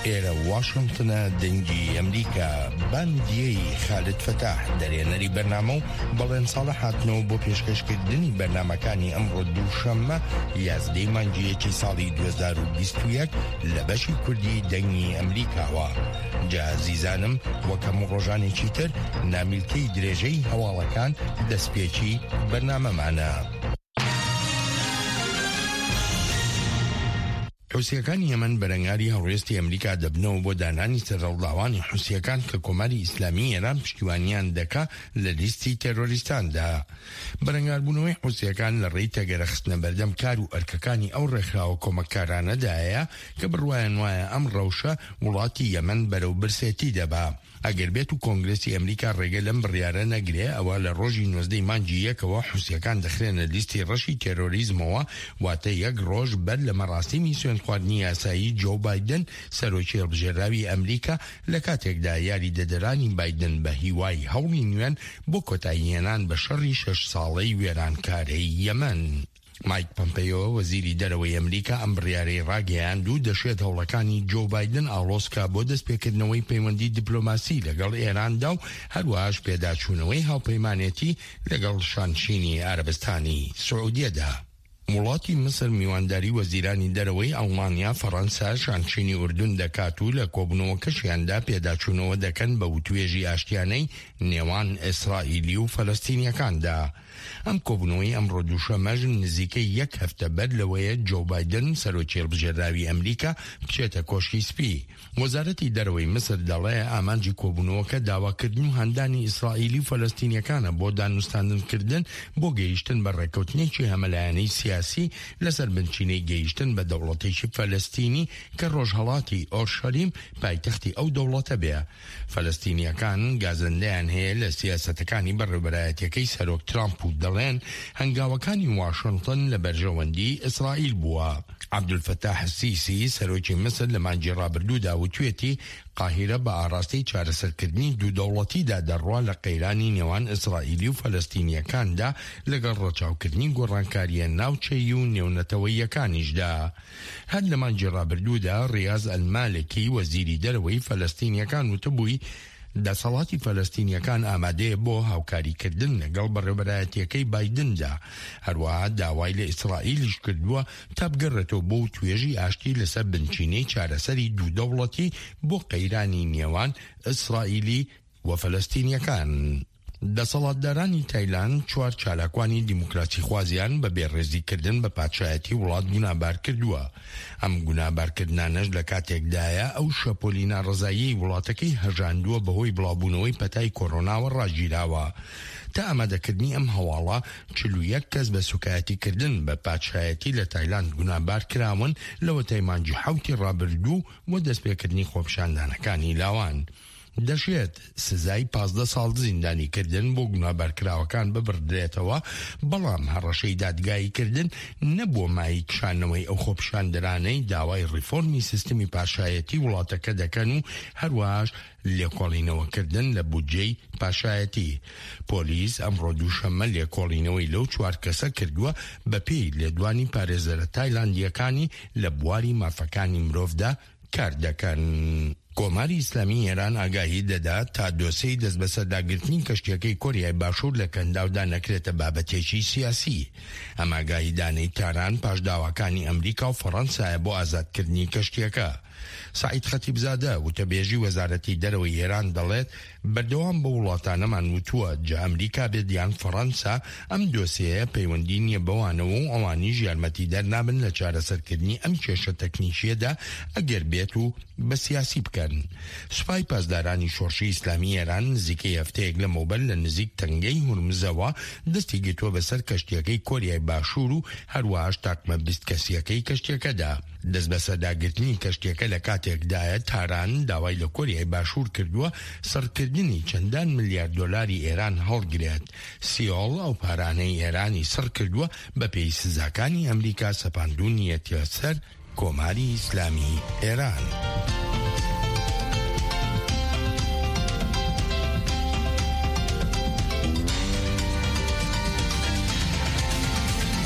ئێرە واشنتنە دەنگی ئەمریکا باندیەی خالد فەتاح دەرێنەری بەرنامە و بەڵێن ساڵح هاتنەوە بۆ پێشکەشکردنی بەرنامەکانی ئەمڕۆ دووشەممە یازدەی مانگی یەکی ساڵی 2021 لە بەشی کوردی دەنگی ئەمریکاوە جا زیزانم وەک هەموو ڕۆژانێکی تر نامیلکەی درێژەی هەواڵەکان دەستپێکی بەرنامەمانە. حوسییەکانی یەمەن بەرەنگاری هەڵوێستی ئەمریکا دەبنەوە بۆ دانانی سەرهەڵداوانی حوسییەکان کە کۆماری ئیسلامیی ئێران پشتیوانیان دەکا لە لیستی تێرۆریستاندا. بەرەنگاربوونەوەی حوسییەکان لە ڕێی تەگەرە خستنە بەردەم کار و ئەرکەکانی ئەو ڕێکخراوە کۆمەککارانەدایە کە بڕوایان وایە ئەم ڕەوشە وڵاتی یەمەن بەرەو برسێتی دەبا. ئەگەر بێت و کۆنگرێسی ئەمریکا ڕێگە لەم بڕیارە نەگرێ ئەوا لە ڕۆژی 19 ی مانگی یەکەوە حوسیەکان دەخرێنە لیستی ڕەشی تێرۆریزمەوە واتە یەک ڕۆژ بەر لە مەراسیمی سوێندخواردنی یاسایی جۆو بایدن سەرۆکی هەڵبژێراوی ئەمریکا لە کاتێکدا یاریدەدەرانی بایدن بە هیوای هەوڵی نوێن بۆ کۆتاییهێنان بە شەڕی شەش ساڵەی وێرانکارەی یەمەن. مایک پەمپەیۆ، وەزیری دەرەوەی ئەمریکا ئەم بڕیارەی ڕاگەیاند و دەشێت هەوڵەکانی جۆو بایدن ئاڵۆز کا بۆ دەستپێکردنەوەی پەیوەندی دیپلۆماسی لەگەڵ ئێراندا و هەروەهاش پێداچوونەوەی هاوپەیمانێتی لەگەڵ شانشینی عەرەبستانی سعودیەدا. وڵاتی میسر میوانداری وەزیرانی دەرەوەی ئەڵمانیا، فەڕەنسا، شانشینی ئوردون دەکات و لە کۆبوونەوەکەشیاندا پێداچوونەوە دەکەن بە وتوێژی ئاشتیانەی نێوان ئیسرائیلی و فەلەستینیەکاندا. ئەم کۆبوونەوەی ئەمڕۆ دووشەممەش نزیکەی یەک هەفتە بەر لەوەیە جۆو بایدن، سەرۆکی هەڵبژێردراوی ئەمریکا بچێتە کۆشکی سپی. وەزارەتی دەرەوەی میسر دەڵێ ئامانجی کۆبوونەوەکە داواکردن و هاندانی ئیسرائیلی و فەلەستینیەکانە بۆ دانوستاندنکردن بۆ گەیشتن بە ڕێککەوتنێکی هەمەلایەنەی سیاسی لەسەر بنچینەی گەیشتن بە دەوڵەتێکی فەلەستینی کە ڕۆژهەڵاتی ئۆرشەلیم پایتەختی ئەو دەوڵەتە بێ. فەلەستینییەکان گازەندەیان هەیە لە سیاسەتەکانی بەڕێوبەرایەتیەکەی سەرۆک ترامپ و دەڵێن هەنگاوەکانی واشنتن لە بەرژەوەندی ئیسرائیل بووە. عەبدولفەتاح سیسی سەرۆکی میسر لە مانگی ڕابردوودا وتوێتی قاهیرە بە ئاڕاستەی چارەسەرکردنی دوو دەوڵەتیدا دەڕوا لە قەیرانی نێوان ئیسرائیلی و فەلەستینییەکاندا لەگەڵ ڕەچاوکردنی گۆڕانکارییە ناوچەیی و نێونەتەوەییەکانیشدا. هەر لە مانگی ڕابردوودا ڕیاز ئەلمالکی وەزیری دەرەوەی فەلەستینیەکان وتبووی دەسەڵاتی فەلەستینیەکان ئامادەیە بۆ هاوکاریکردن لەگەڵ بەڕێوبەرایەتیەکەی بایدندا، هەروەها داوای لە ئیسرائیلیش کردووە تا بگەڕێتەوە بۆ وتوێژی ئاشتی لەسەر بنچینەی چارەسەری دوو دەوڵەتی بۆ قەیرانی نێوان ئیسرائیلی و فەلەستینیەکان. دەسەڵاتدارانی تایلاند چوار چالاکوانی دیموکراسیخوازیان بە بێڕێزیکردن بە پادشایەتی وڵات گونابار کردووە. ئەم گونابارکردنانەش لە کاتێکدایە ئەو شەپۆلی ناڕەزاییەی وڵاتەکەی هەژاندووە بەهۆی بڵاوبوونەوەی پەتای کۆرۆناوە ڕاگیراوە. تا ئامادەکردنی ئەم هەواڵە 41 کەس بە سوکایەتیکردن بە پادشایەتی لە تایلاند گونابار کراون لەوەتای مانگی حەوتی ڕابردوو و دەستپێکردنی خۆپیشاندانەکانی لاوان. دەشێت سزای 15 ساڵ زیندانیکردن بۆ گوناهبارکراوەکان ببڕدرێتەوە، بەڵام هەڕەشەی دادگاییکردن نەبووە مایەی کشانەوەی ئەو خۆپیشاندەرانەی داوای ڕیفۆرمی سیستمی پاشایەتی وڵاتەکە دەکەن و هەروەهاش لێکۆڵینەوەکردن لە بودجەی پاشایەتی. پۆلیس ئەمڕۆ دووشەممە لێکۆڵینەوەی لەو چوار کەسە کردووە بەپێی لێدوانی پارێزەرە تایلاندییەکانی لە بواری مافەکانی مرۆڤدا کار دەکەن. کۆماری ئیسلامیی ئێران ئاگاهی دەدات تا دۆسێی دەستبەسەرداگرتنی کەشتییەکەی کۆریای باشوور لە کەنداودا نەکرێتە بابەتێکی سیاسی. ئەم ئاگاهیدانەی تاران پاش داواکانی ئەمریکا و فەڕەنسایە بۆ ئازادکردنی کەشتییەکە. سەعید خەتیبزادە، وتەبێژی وەزارەتی دەرەوەی ئێران دەڵێت، بەردەوام بەو وڵاتانەمان وتووە، جا ئەمریکا بێت یان فەڕەنسا، ئەم دۆسێیە پەیوەندی نییە بەوانەوە و ئەوانیش یارمەتیدەر نابن لە چارەسەرکردنی ئەم کێشە تەکنیکییەدا ئەگەر بێت و بە سیاسی بکەن. سوپای پاسدارانی شۆڕشی ئیسلامی ئێران نزیکەی هەفتەیەک لەمەوبەر لە نزیک تەنگەی هورمزەوە دەستی گرتووە بەسەر کەشتییەکەی کۆریای باشوور و هەروەهاش تاقمە 20 کەسییەکەی کەشتییەکەدا. دەستبەسەرداگرتنی کەشتییەکە لە کاتێکدایە تاران داوای لە کۆریای باشوور کردووە سڕکردنی چەندان ملیار دۆلاری ئێران هەڵگرێت. سیۆڵ ئەو پارانەی ئێرانی سڕ کردووە بەپێی سزاکانی ئەمریکا سەپاندوونیەتیە سەر کۆماری ئیسلامی ئێران.